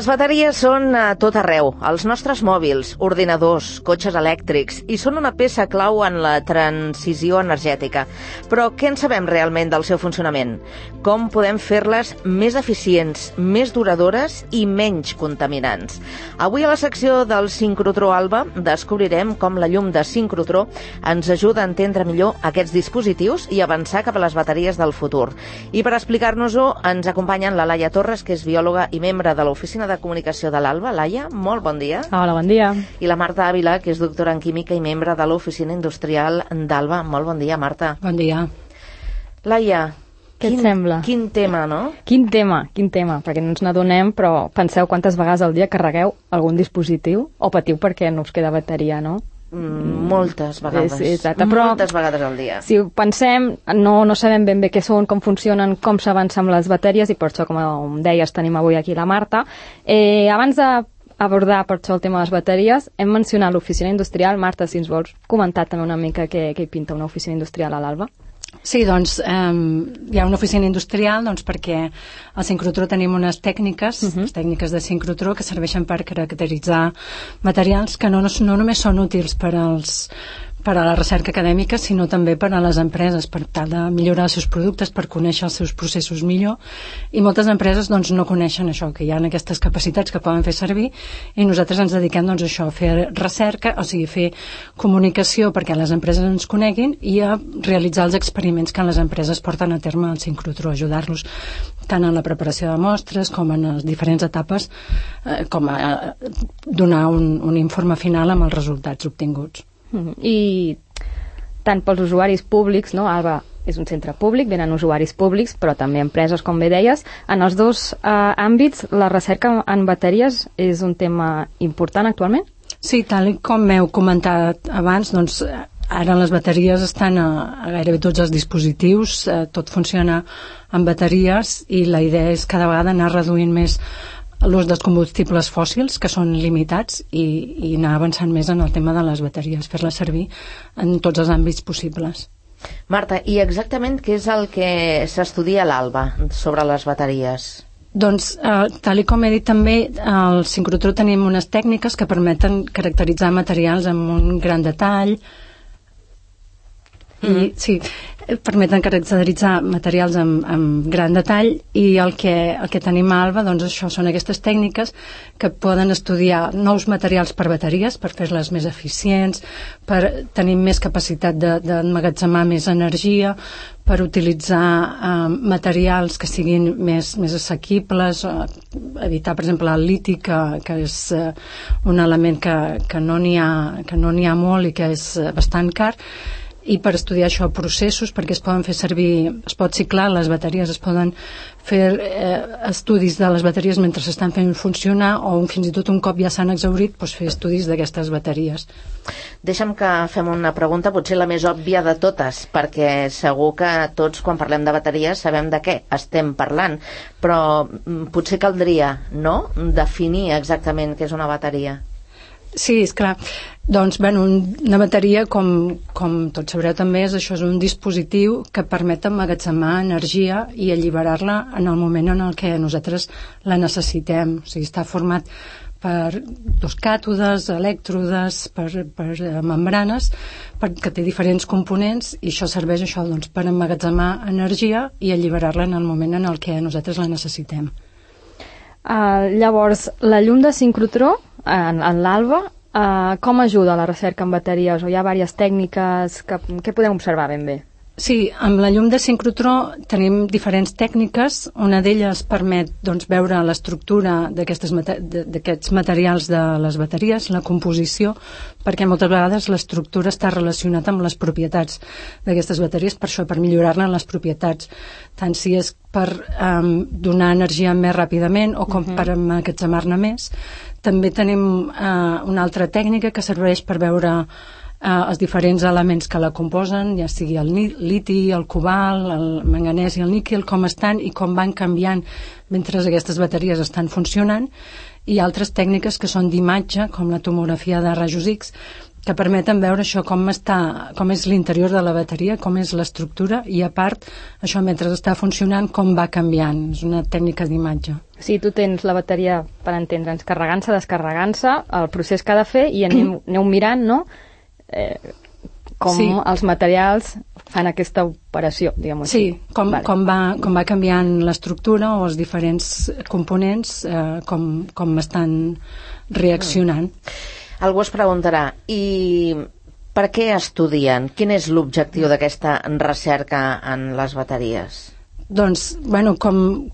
bateries són a tot arreu, als nostres mòbils, ordinadors, cotxes elèctrics, i són una peça clau en la transició energètica. Però què en sabem realment del seu funcionament? Com podem fer-les més eficients, més duradores i menys contaminants? Avui a la secció del sincrotró Alba descobrirem com la llum de sincrotró ens ajuda a entendre millor aquests dispositius i avançar cap a les bateries del futur. I per explicar-nos-ho ens acompanyen la Laia Torres, que és biòloga i membre de l'Oficina de Comunicació de l'Alba. Laia, molt bon dia. Hola, bon dia. I la Marta Ávila, que és doctora en Química i membre de l'Oficina Industrial d'Alba. Molt bon dia, Marta. Bon dia. Laia, què et sembla? Quin tema, no? Quin tema, perquè no ens n'adonem, però penseu quantes vegades al dia carregueu algun dispositiu o patiu perquè no us queda bateria, no? Moltes vegades. Exacte, però moltes vegades al dia. Si ho pensem, no sabem ben bé què són, com funcionen, com s'avança amb les bateries, i per això, com deies, tenim avui aquí la Marta. Abans d'abordar per això el tema de les bateries, hem mencionat l'oficina industrial. Marta, si ens vols comentar també una mica què hi pinta una oficina industrial a l'Alba. Sí, doncs hi ha una oficina industrial perquè al sincrotró tenim unes tècniques, les tècniques de sincrotró, que serveixen per caracteritzar materials que no només són útils per a la recerca acadèmica, sinó també per a les empreses, per tal de millorar els seus productes, per conèixer els seus processos millor. I moltes empreses no coneixen això, que hi ha aquestes capacitats que poden fer servir, i nosaltres ens dediquem a això, a fer recerca, o sigui, fer comunicació perquè les empreses ens coneguin i a realitzar els experiments que les empreses porten a terme al sincrotró, ajudar-los tant en la preparació de mostres com en les diferents etapes, com a donar un informe final amb els resultats obtinguts. I tant pels usuaris públics, no? Alba és un centre públic, venen usuaris públics, però també empreses, com bé deies. En els dos àmbits, la recerca en bateries és un tema important actualment? Sí, tal com heu comentat abans, ara les bateries estan a gairebé tots els dispositius, tot funciona amb bateries, i la idea és cada vegada anar reduint més l'ús dels combustibles fòssils, que són limitats, i anar avançant més en el tema de les bateries, fer-les servir en tots els àmbits possibles. Marta, i exactament què és el que s'estudia a l'Alba sobre les bateries? Doncs, tal com he dit també, al sincrotró tenim unes tècniques que permeten caracteritzar materials amb un gran detall, i sí, permeten caracteritzar materials amb gran detall, i el que tenim a Alba, això són aquestes tècniques que poden estudiar nous materials per bateries, per fer-les més eficients, per tenir més capacitat d'emmagatzemar més energia, per utilitzar materials que siguin més assequibles, evitar, per exemple, el liti, que és un element que no n'hi ha molt i que és bastant car, i per estudiar això, processos, perquè es poden fer servir, es pot ciclar les bateries, es poden fer estudis de les bateries mentre s'estan fent funcionar, o fins i tot un cop ja s'han exhaurit, fer estudis d'aquestes bateries. Deixa'm que fem una pregunta, potser la més òbvia de totes, perquè segur que tots, quan parlem de bateries, sabem de què estem parlant, però potser caldria, no?, definir exactament què és una bateria. Sí, és clar. Doncs, una bateria, com tots sabreu també, és un dispositiu que permet emmagatzemar energia i alliberar-la en el moment en el que nosaltres la necessitem. O sigui, està format per dos càtodes, elèctrodes, per membranes, que té diferents components, i això serveix per emmagatzemar energia i alliberar-la en el moment en el que nosaltres la necessitem. Llavors, la llum de sincrotró en l'Alba, com ajuda a la recerca en bateries? O hi ha diverses tècniques que podem observar ben bé? Sí, amb la llum de sincrotró tenim diferents tècniques. Una d'elles permet veure l'estructura d'aquests materials de les bateries, la composició, perquè moltes vegades l'estructura està relacionada amb les propietats d'aquestes bateries, per això, per millorar-ne les propietats, tant si és per donar energia més ràpidament o com per emmagatzemar-ne més. També tenim una altra tècnica que serveix per veure els diferents elements que la composen, ja sigui el liti, el cobalt, el manganès i el níquel, com estan i com van canviant mentre aquestes bateries estan funcionant, i altres tècniques que són d'imatge, com la tomografia de rajos X, que permeten veure això, com és l'interior de la bateria, com és l'estructura, i a part, això mentre està funcionant, com va canviant. És una tècnica d'imatge. Sí, tu tens la bateria, per entendre'ns, carregant-se, descarregant-se, el procés que ha de fer, i aneu mirant, no?, com els materials fan aquesta operació, diguem-ho així. Sí, com va canviant l'estructura o els diferents components, com estan reaccionant. Algú es preguntarà, i per què estudien? Quin és l'objectiu d'aquesta recerca en les bateries? Doncs, bueno, com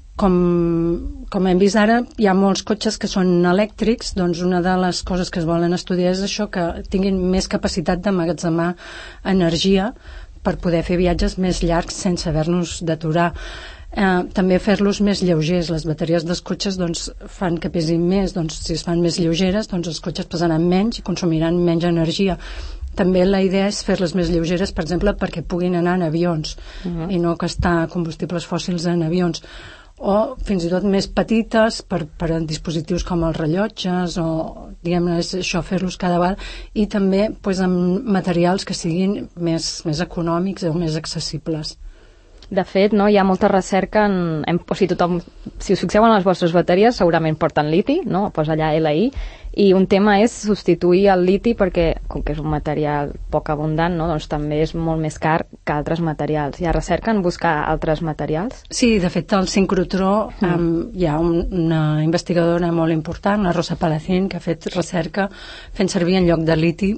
hem vist ara, hi ha molts cotxes que són elèctrics, doncs una de les coses que es volen estudiar és això, que tinguin més capacitat d'emmagatzemar energia per poder fer viatges més llargs sense haver-nos d'aturar. També fer-los més lleugers. Les bateries dels cotxes doncs, fan que pesin més, doncs, si es fan més lleugeres, doncs els cotxes pesaran menys i consumiran menys energia. També la idea és fer-les més lleugeres, per exemple, perquè puguin anar en avions i no gastar combustibles fòssils en avions, o fins i tot més petites per a dispositius com els rellotges, o diguem-ne, és això, fer-los cada vegada, i també doncs, amb materials que siguin més econòmics o més accessibles. De fet, no, hi ha molta recerca o sigui, tothom, si us fixeu en les vostres bateries, segurament porten liti, no? Posa allà LI, i un tema és substituir el liti perquè, com que és un material poc abundant, no? Doncs també és molt més car que altres materials. Hi ha recerca en buscar altres materials? Sí, de fet, al sincrotró hi ha una investigadora molt important, la Rosa Palacín, que ha fet recerca fent servir en lloc de liti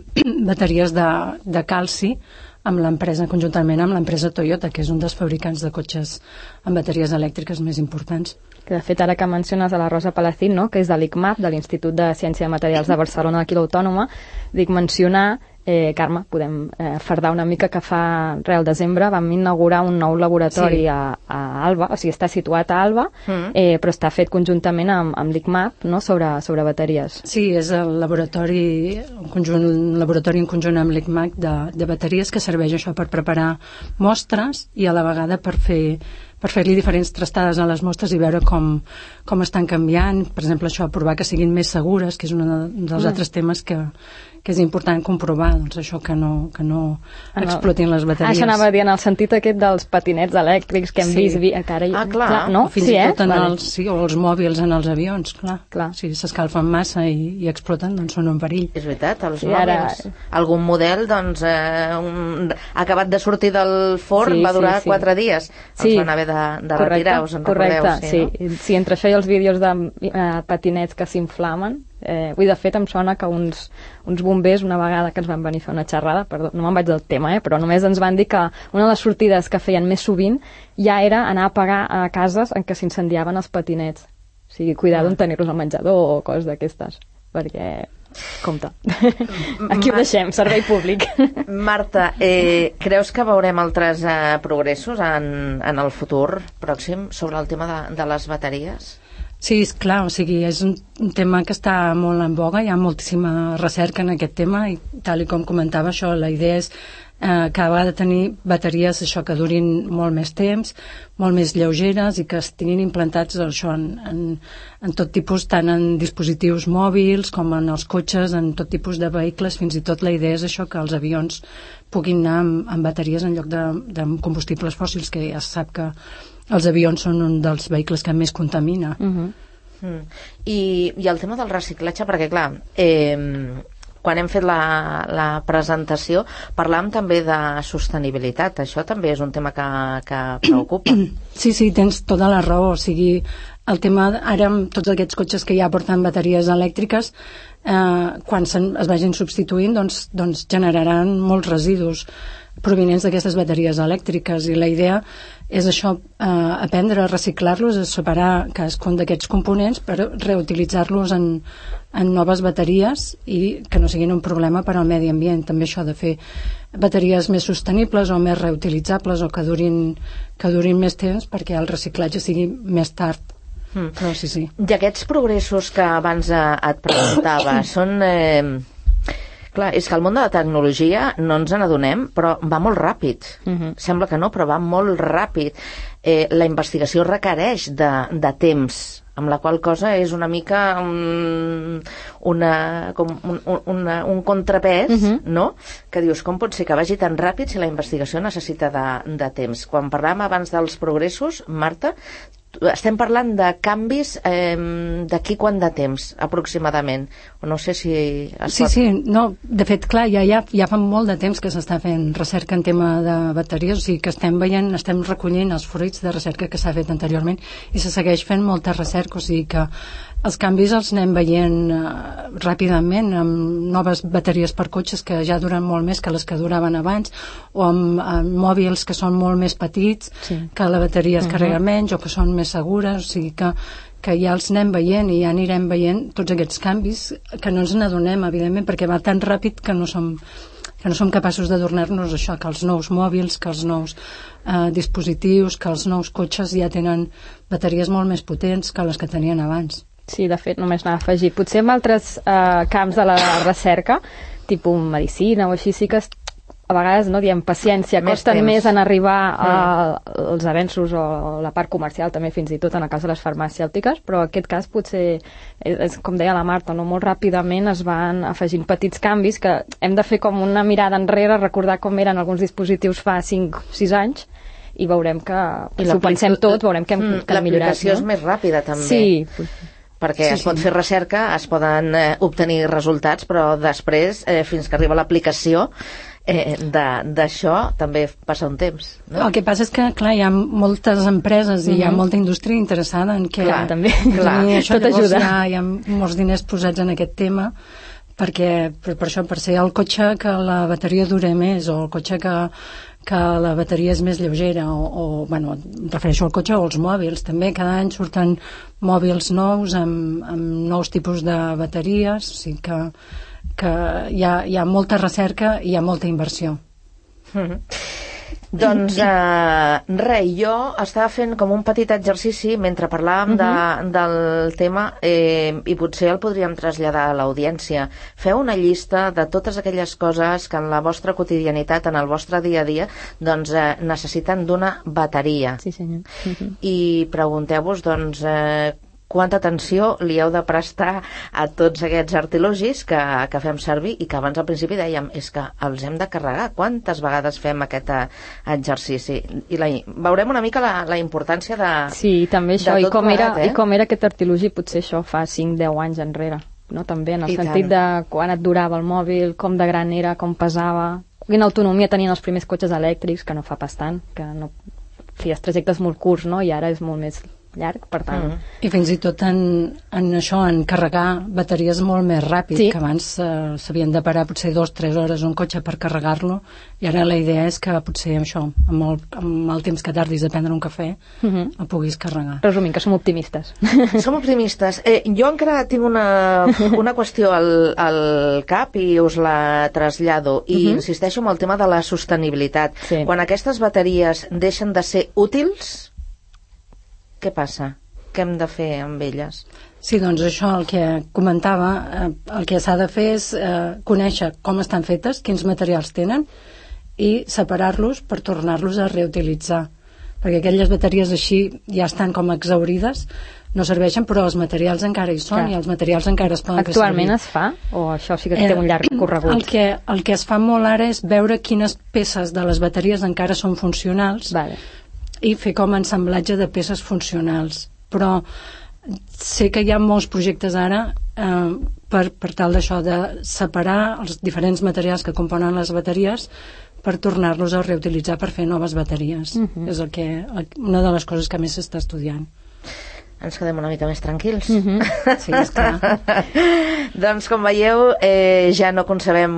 bateries de calci, conjuntament amb l'empresa Toyota, que és un dels fabricants de cotxes amb bateries elèctriques més importants. Que de fet, ara que menciones a la Rosa Palacín, no?, que és de l'ICMAP, de l'Institut de Ciència de Materials de Barcelona, d'aquí l'Autònoma, dic mencionar, Carme, podem fardar una mica, que fa al desembre vam inaugurar un nou laboratori a Alba, o sigui, està situat a Alba, però està fet conjuntament amb l'ICMAP, no?, sobre bateries. Sí, és el laboratori en conjunt amb l'ICMAP de bateries, que serveix això per preparar mostres i a la vegada per fer-li diferents trastades a les mostres i veure com estan canviant. Per exemple, això, provar que siguin més segures, que és un dels altres temes que és important comprovar, doncs això, que no explotin les bateries. Això anava a dir, en el sentit aquest dels patinets elèctrics que hem vist... clar. No? Fins i tot o els mòbils en els avions, clar. Si s'escalfen massa i exploten, doncs són un perill. És veritat, els mòbils. Algun model, doncs, acabat de sortir del forn, va durar 4 dies. Els van haver de retirar, us en recordeu? Sí, entre això i els vídeos de patinets que s'inflamen, de fet em sona que uns bombers, una vegada que ens van venir a fer una xerrada, perdó, no me'n vaig del tema, però només ens van dir que una de les sortides que feien més sovint ja era anar a apagar a cases en què s'incendiaven els patinets. O sigui, cuidar d'on tenir-los al menjador o coses d'aquestes, perquè... Compte. Aquí ho deixem, servei públic. Marta, creus que veurem altres progressos en el futur pròxim sobre el tema de les bateries? Sí, és clar, o sigui, és un tema que està molt en boga, hi ha moltíssima recerca en aquest tema i tal com comentava això, la idea és cada vegada tenir bateries això que durin molt més temps, molt més lleugeres i que estiguin implantats això, en tot tipus, tant en dispositius mòbils com en els cotxes, en tot tipus de vehicles. Fins i tot la idea és això, que els avions puguin anar amb bateries en lloc de combustibles fòssils, que ja se sap que els avions són un dels vehicles que més contamina. I el tema del reciclatge, perquè clar, quan hem fet la presentació parlàvem també de sostenibilitat. Això també és un tema que preocupa. Sí, tens tota la raó. O sigui, el tema ara amb tots aquests cotxes que ja porten bateries elèctriques, quan es vagin substituint, doncs generaran molts residus provinents d'aquestes bateries elèctriques, i la idea és això, aprendre a reciclar-los, a separar cadascun d'aquests components per reutilitzar-los en noves bateries i que no siguin un problema per al medi ambient. També això de fer bateries més sostenibles o més reutilitzables o que durin més temps perquè el reciclatge sigui més tard. Però sí. I aquests progressos que abans et preguntava són... Clar, és que el món de la tecnologia no ens n'adonem, però va molt ràpid. Sembla que no, però va molt ràpid. La investigació requereix de temps, amb la qual cosa és una mica un contrapès, no? Que dius, com pot ser que vagi tan ràpid si la investigació necessita de temps? Quan parlàvem abans dels progressos, Marta, estem parlant de canvis d'aquí quant de temps, aproximadament? O no sé si... Sí, no, de fet, clar, ja fa molt de temps que s'està fent recerca en tema de bateries, o sigui que estem recollint els fruits de recerca que s'ha fet anteriorment i se segueix fent molta recerca, o sigui que els canvis els anem veient ràpidament amb noves bateries per cotxes que ja duren molt més que les que duraven abans, o amb mòbils que són molt més petits, que la bateria es carrega menys o que són més segures, o sigui que ja els anem veient i ja anirem veient tots aquests canvis que no ens n'adonem, evidentment, perquè va tan ràpid que no som capaços d'adornar-nos això, que els nous mòbils, que els nous dispositius, que els nous cotxes ja tenen bateries molt més potents que les que tenien abans. Sí, de fet, només anava a afegir. Potser en altres camps de la recerca, tipus medicina o així, sí que a vegades no diem paciència, costen més en arribar als avenços o la part comercial, també fins i tot en el cas de les farmacèutiques, però en aquest cas potser, com deia la Marta, no? Molt ràpidament es van afegint petits canvis que hem de fer com una mirada enrere, recordar com eren alguns dispositius fa 5-6 anys, i veurem que, si ho pensem tot, veurem que hem millorat. L'aplicació és més ràpida, també. Sí, perquè es pot fer recerca, es poden obtenir resultats, però després, fins que arriba l'aplicació d'això, també passa un temps, no? El que passa és que, clar, hi ha moltes empreses i hi ha molta indústria interessada en que... Clar, també. Això tot ajuda. Hi ha molts diners posats en aquest tema, perquè per això, per ser el cotxe que la bateria dure més, o el cotxe que la bateria és més lleugera, bueno, em refereixo al cotxe o als mòbils, també cada any surten mòbils nous amb nous tipus de bateries, o sigui que hi ha molta recerca i hi ha molta inversió. Doncs jo estava fent com un petit exercici mentre parlàvem del tema i potser el podríem traslladar a l'audiència. Feu una llista de totes aquelles coses que en la vostra quotidianitat, en el vostre dia a dia, doncs necessiten d'una bateria. Sí, senyor. I pregunteu-vos, doncs, quanta atenció li heu de prestar a tots aquests artilugis que fem servir i que abans al principi dèiem és que els hem de carregar. Quantes vegades fem aquest exercici? I veurem una mica la importància de... Sí, també això, i com era aquest artilugi potser això fa 5-10 anys enrere, no? També en el sentit de quan et durava el mòbil, com de gran era, com pesava, quina autonomia tenien els primers cotxes elèctrics, que no fa pas tant, que no feies trajectes molt curts, no? I ara és molt més llarg, per tant... I fins i tot en això, en carregar bateries molt més ràpid, que abans s'havien de parar potser 2-3 hores un cotxe per carregar-lo, i ara la idea és que potser això, amb el temps que tardis a prendre un cafè, el puguis carregar. Resumint, que som optimistes. Som optimistes. Jo encara tinc una qüestió al cap i us la trasllado, i insisteixo en el tema de la sostenibilitat. Quan aquestes bateries deixen de ser útils, què passa? Què hem de fer amb elles? Sí, doncs això, el que comentava, el que s'ha de fer és conèixer com estan fetes, quins materials tenen, i separar-los per tornar-los a reutilitzar. Perquè aquelles bateries així ja estan com exhaurides, no serveixen, però els materials encara hi són. Clar. I els materials encara es poden fer servir. Actualment es fa? O això sí que té un llarg corregut? El que es fa molt ara és veure quines peces de les bateries encara són funcionals, i fer com ensamblatge de peces funcionals. Però sé que hi ha molts projectes ara per tal d'això, de separar els diferents materials que componen les bateries per tornar-los a reutilitzar per fer noves bateries. És una de les coses que més s'està estudiant. Ens quedem una mica més tranquils. Sí, esclar. Doncs, com veieu, ja no concebem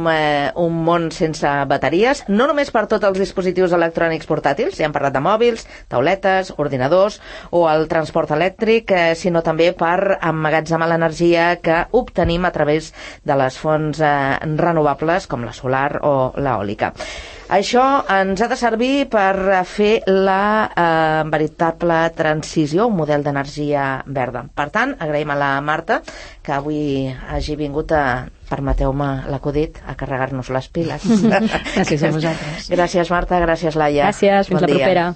un món sense bateries, no només per tots els dispositius electrònics portàtils, ja hem parlat de mòbils, tauletes, ordinadors o el transport elèctric, sinó també per emmagatzemar l'energia que obtenim a través de les fonts renovables com la solar o l'eòlica. Això ens ha de servir per fer la veritable transició, un model d'energia verda. Per tant, agraïm a la Marta que avui hagi vingut permeteu-me l'acudit, a carregar-nos les piles. Gràcies a vosaltres. Gràcies, Marta, gràcies, Laia. Gràcies, fins la propera.